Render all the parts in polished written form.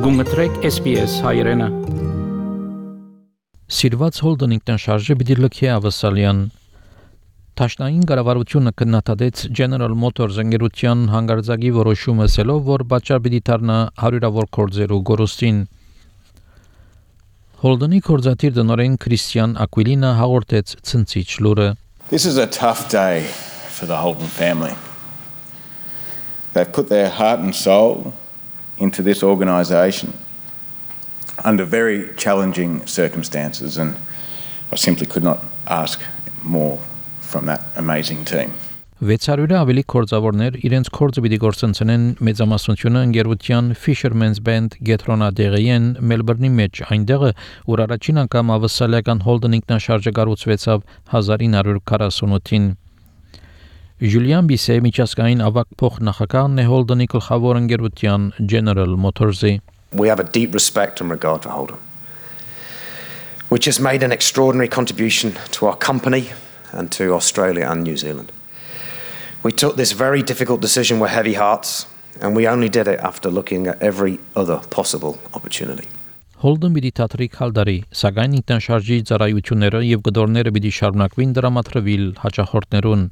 Գումտրեք SPS հայրենը։ Սիրված Holden ինքնաշարժը պիտի լքի ավսալյան։ Տաշնային կառավարությունը կնահատեց General Motors ընկերության հանգարձակի որոշումը ասելով, որ պատճառ պիտի դառնա հարյուրավոր գործերու գորոստին։ Holden-ի կորզաթիր տնօրեն Քրիստիան Ակվիլինա հաղորդեց ցնցիչ լուրը։ This is a tough day for the Holden family. They've put their heart and soul into this organisation under very challenging circumstances, and I simply could not ask more from that amazing team. 600-ը ավելի կորձավորներ իրենց կորձը պիտի գործընծնեն մեծամասնությունը ընկերության Fisherman's Band Գետրոնադեղիեն Մելբուրնի մեջ, այնտեղ որ առաջին անգամ ավսալական Holden ինքնաշարժը կառուցվեցավ 1948-ին։ Julian Bisset միջազգային ավագ փոխնախագահն է Holden-ի գլխավոր ընկերության General Motors-ի։ We have a deep respect and regard for Holden, which has made an extraordinary contribution to our company and to Australia and New Zealand. We took this very difficult decision with heavy hearts, and we only did it after looking at every other possible opportunity. Holden պիտի թատրի քալդարի, սակայն ինքնաշարժի ծառայությունները եւ գդորները պիտի շարունակվին դրամատրվել հաջախորդներուն։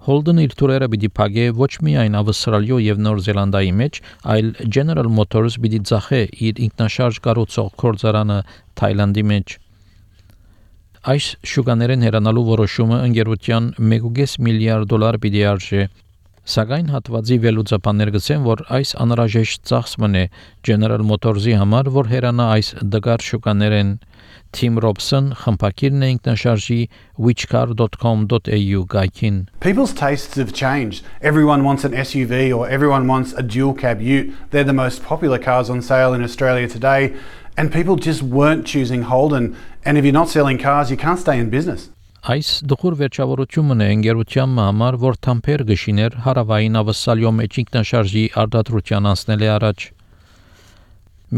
Holden իր թուրերը պիտի փակե ոչ միայն Ավստրալիա եւ Նոր Զելանդիայի մեջ, այլ General Motors պիտի ծախե իր ինքնաշարժ կառուցող գործարանը Թայլանդի մեջ։ Այս շուկաներեն հեռանալու որոշումը ընկերության 1.5 միլիարդ դոլար պիտի արժե։ Սակայն հատվածի վելուծապաններ գսեն, որ այս անհրաժեշտ ծախսն է General Motors-ի համար, որ հեռանա այս դգար շուկաներեն։ Tim Robson խմբակիրն է ինքնաշարժի whichcar.com.au գայքին։ People's tastes have changed. Everyone wants an SUV or everyone wants a dual cab ute. They're the most popular cars on sale in Australia today, and people just weren't choosing Holden. And if you're not selling cars, you can't stay in business. Այս դխուր վերջավորությունն է ընկերության համար, որ թամփեր գշիներ հարավային ավսալյո մեջ ինքնաշարժի արտադրության անցնել է առաջ։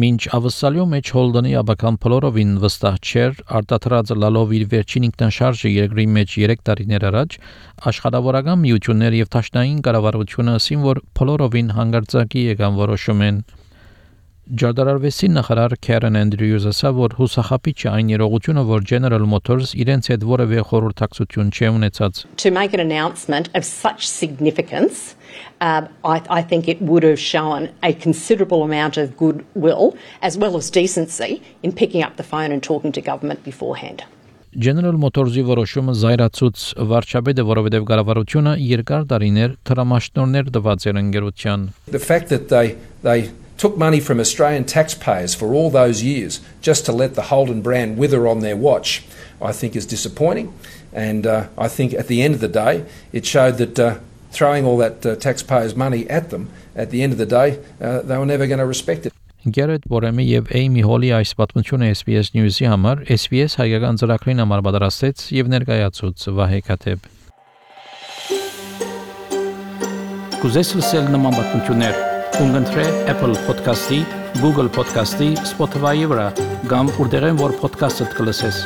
Մինչ ավսալյո մեջ Holden-ի աբական փլորովին վստահ չէր արտադրած լալով իր վերջին ինքնաշարժը երկրի մեջ 3 տարիներ առաջ, աշխատավորական միություններ եւ տաշնային կառավարությունը ասին, որ փլորովին հանգարձակի եկան որոշում են։ Ջարդարարվեսի նախարար Karen Andrews ասավ, որ հուսախապիչ է այն երողությունը, որ General Motors իրենց հետ որևէ խորհրդակցություն չի ունեցած։ To make an announcement of such significance, I think it would have shown a considerable amount of goodwill as well as decency in picking up the phone and talking to government beforehand. General Motors-ի որոշումը զայրացուց վարչապետը, որովհետև կառավարությունը երկար տարիներ տրամաշնորհներ տված էր ընկերության։ The fact that they took money from Australian taxpayers for all those years just to let the Holden brand wither on their watch, I think is disappointing. And I think at the end of the day, it showed that throwing all that taxpayers' money at them, at the end of the day, they were never going to respect it. Garrett Boremi եւ Amy Holly այս պատմությունը SBS News-ի համար SBS հայկական ծրագրին համար պատրաստեց եւ ներկայացուց Վահե Քաթեբ։ Կուզես լսել նման պատմություններ, կընտրե Apple Podcast-ի, Google Podcast-ի, Spotify-ի վրա, կամ որտեղեն որ podcast-ը կլսես։